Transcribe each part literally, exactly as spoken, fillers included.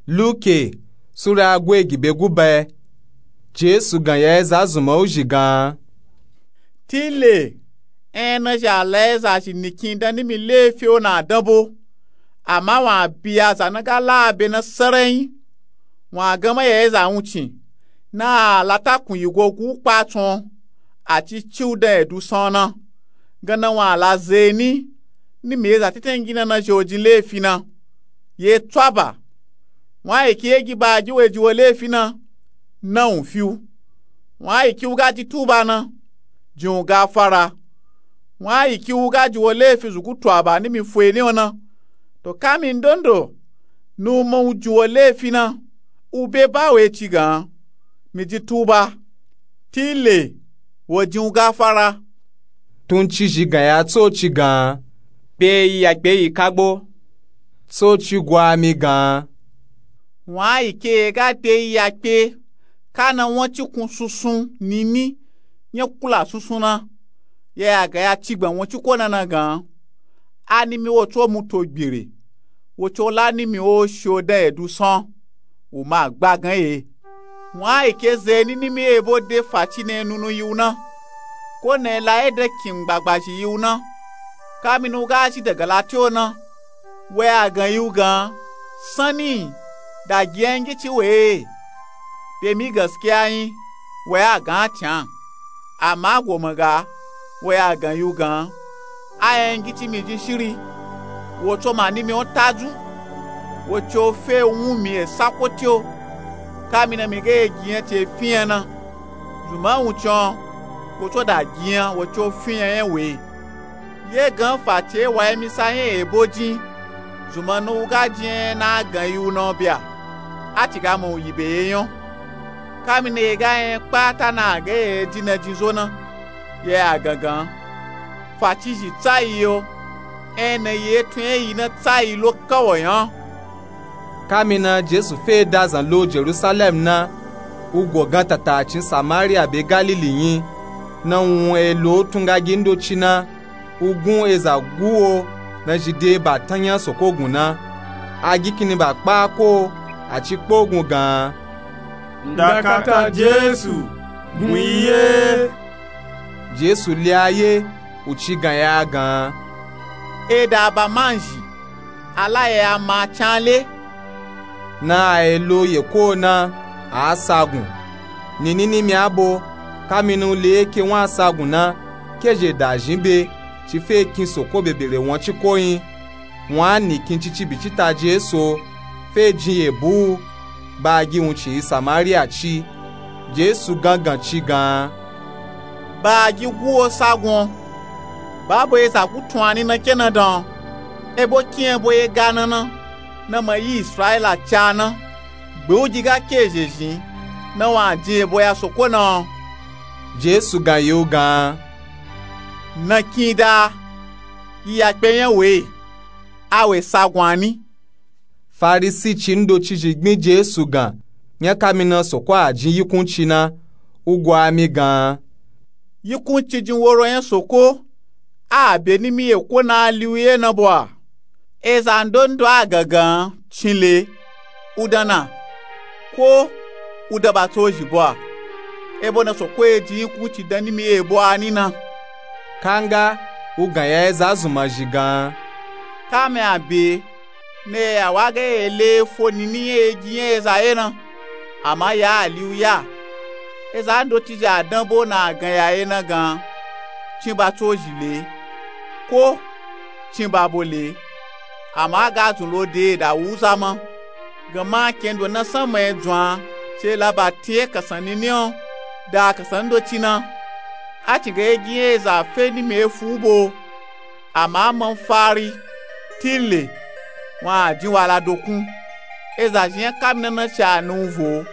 Luke sura gwe gi be gu ba. Jesu gan ya eza zunman u zhi gan. Tile en na zha la eza zhi nikin dan nimi lefi o na dan bo. Ama wan bi aza na ga la be na sarai. Wan gan ma ya eza wuncin na a la takun yi go gu kpa tun a ci ci u dan edu san na. Gan na wan a la zeni nimi eza tetengi na na zhi o jin lefi na. Ye tswaba wan a yi ki ye gi ba gi we ji wo lefi na. Na wun fi u wan a yi ki u ga ji tuba na. Jin u gafara wan a yi ki u ga ji wo lefi zugu tuaba nimi fo eni o na. To kami ndondo nu ma u ji wo lefi na. U be ba we ci gan mi ji tuba. Tile wo jin u gafara. Tun ci zhi gan ya tsoci gan. Be yi ya kpe yi kagbo. Tsoci gwa mi gan. Wan a yi ke ga de yi ya kpe ka na wan ci kun sunsun nini nya kula sunsun na. Ya ya gan ya ci gban wan ci ko na na gan. A nimi wo tso mu to gbere wo tso la nimi o shi o dan edu san. U ma gba gan ye. Wan a yi ke zeni nimi ebo de faci na enunu yi u na. Ko na ela ye dan kin gbagba zhi yi u na. Kami na u ga zhi daga lati o na. Wa ya gan yi u gan sani da gi yan gi ci we. Be mi gaskiya yin wa ya gan a can. Ama goma ga wa ya gan yi u gan a yan gi ci mi jin shiri. Wo tso ma nimi o taju wo tso fe wun mi e sako ti o. Kami na mi ga ye gi yan ci e fi yan na. Zunman wuncin o wo tso da gi yan wo tso fi yan yan we. Ye gan faci e wa emisa yan ebo jin. Zunman na u ga jin yan na a gan yi u na o bia. A ci ga ma u yi be ye yan o. Kami na ye ga yan kpata na a ga ye e ji na jin zo na. Ye a gan gan faci zhi tsayi yo. En na ye tun yan yi na tsayi lo kawo yan. Kami na jesu fe da zan lo jerusalem na. U go gan tatacin samariya be galili yin. Na wun e lo tun ga gi ndoci na. U gun eza gu wo na zhi de ba tan yan soko gun na. A gi kini ba kpa ko a ci kpo gun gan. Ndakata jesu gun yi ye. Jesu li a ye u ci gan ya gan. Eda ba man zhi a la ye a ma can le. Na a ye lo ye ko na a sagun. Nini nimi abo kami na u le ye ke wan a sagun na. Ke zhe da zhin be ci fe kin soko bebere wan ci ko yin. Wan a ni kin cici bi ci ta jesu o fe jin ye bu u. Ba a gi wuncin yi samariya ci. Jesu gan gan ci gan. Ba a gi gu wo sagun o. Ba bo eza gu tun a ni na ke na dan o. Ebo kin ebo ye ga na na na ma yi israila ca na. Gbe u gi ga ke zhe zhin na wan a jin ebo ya soko na o. Jesu gan yi u gan. Na kin da yi ya kpe yan we. A we sagun a ni. Farisi ci ndoci zhi gbin jesu gan. Yan kami na soko a jin yikunci na. U go a mi gan. Yikunci jin woro yan soko a be nimi ye ko na a li u ye na bo a. Eza ndondo a gan gan cin le u dan na. Ko u dan ba tso zhi bo a. Ebo na soko ye jin yikunci dan nimi ye bo a ni na. Kanga u gan ya eza zunman zhi gan. Kami a be na ye ya wa ga ye le efo nini yan ye gi yan eza ye na. Ama ya a li u ya. Eza ndoci zhi a dan bo na a gan ya ye na gan. Cin ba tso zhi le ko cin ba bo le. Ama a ga zun lo de da wu za ma. Gan ma ken do na sanma ye dzun a ci ye la ba tin ye kansan nini o. Da kansan ndoci na. A cin ga ye gi yan eza fe nimi efu u bo. Ama a ma n fari tile wan a jin wala dokun. Eza zhin yan kami na na ci a na u vo.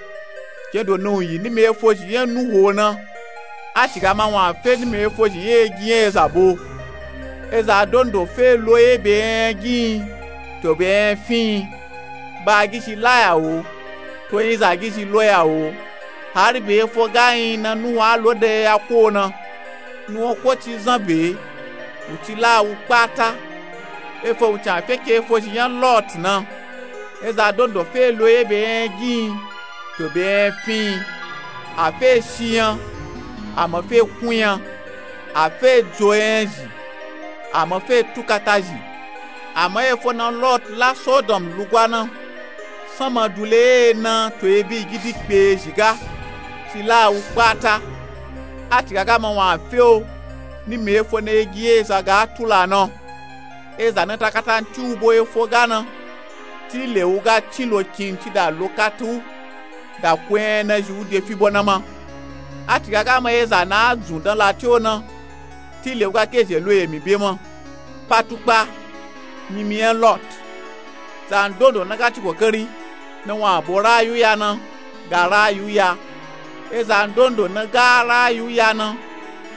Ken do na u yi nimi efo zhi yan nuho na. A ci ga ma wan a fe nimi efo zhi yan ye gi yan eza bo. Eza dondo fe lo ye be yan yan gi yin to be yan yan fi yin. Ba a gi zhi la ya wo to yin za gi zhi lo ya wo. Hari be efo ga yin na nuho a lo dan ye ya ko na. Nuho ko ci zan be u ci la a wu kpata. Efo wuncin a fe ke efo zhi yan lot na. Eza dondo fe lo ye be nya gin to be nya fin. A fe shi nya, a ma fe kun nya. A fe dzo nya zhi, a ma fe tukata zhi. Ama efo na Lot la Sodom lugwa na, sanma dule ye na to ebi gidi kpe zhi ga ti la wu kpata. A ti ga ga ma wun a fe o, ni mi efo na egi eza ga tula na. Eza na ta kata nti u bo efo ga na, ti le u ga tin lo kin ti da lo kata u, da ko nya na zhi u de fi bo na ma. A ti ga ga ma eza na a dzun dan lati o na, ti le u ga ke zhe lo emi be ma. Patukpa, nyimi nya Lot. Zandondo na ga ti kokari na wun a bo rayu ya na, ga rayu ya. Eza ndondo na ga rayu ya na,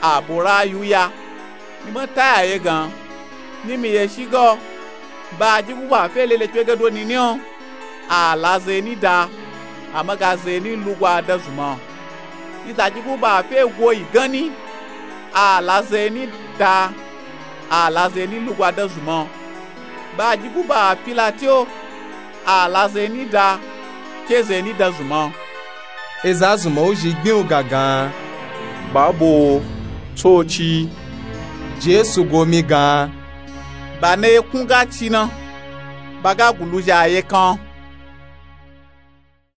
a bo rayu ya. Ni ma ta ya ye gan, ni mi ye shi ga o, ba a dyi guba fe lele kpe gado nini o, a la zeni da, a ma ga zeni lugwa da zunma. Ni za dyi guba fe go yi gan ni, a la zeni da, a la zeni lugwa da zunma. Ba a dyi guba fi lati o, a la zeni da, ke zeni da zunma. Eza zunma u zhi gbin u ga gan, ba bo o, tsoci. Jesu go mi gan, ba na ye kun ga ci na, ba ga gulu zhi a ye kan.